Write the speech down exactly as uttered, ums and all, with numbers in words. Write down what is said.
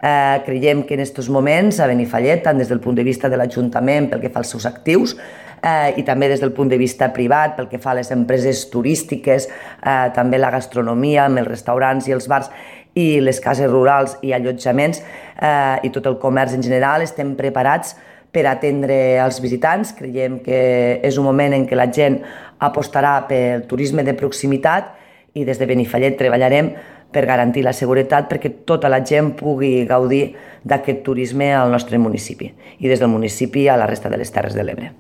Eh, creiem que en aquests moments a Benifallet, tant des del punt de vista de l'Ajuntament pel que fa als seus actius eh, i també des del punt de vista privat pel que fa a les empreses turístiques, eh, també la gastronomia amb els restaurants i els bars i les cases rurals i allotjaments eh, i tot el comerç en general, estem preparats per atendre els visitants. Creiem que és un moment en què la gent apostarà pel turisme de proximitat i des de Benifallet treballarem per garantir la seguretat perquè tota la gent pugui gaudir d'aquest turisme al nostre municipi i des del municipi a la resta de les Terres de l'Ebre.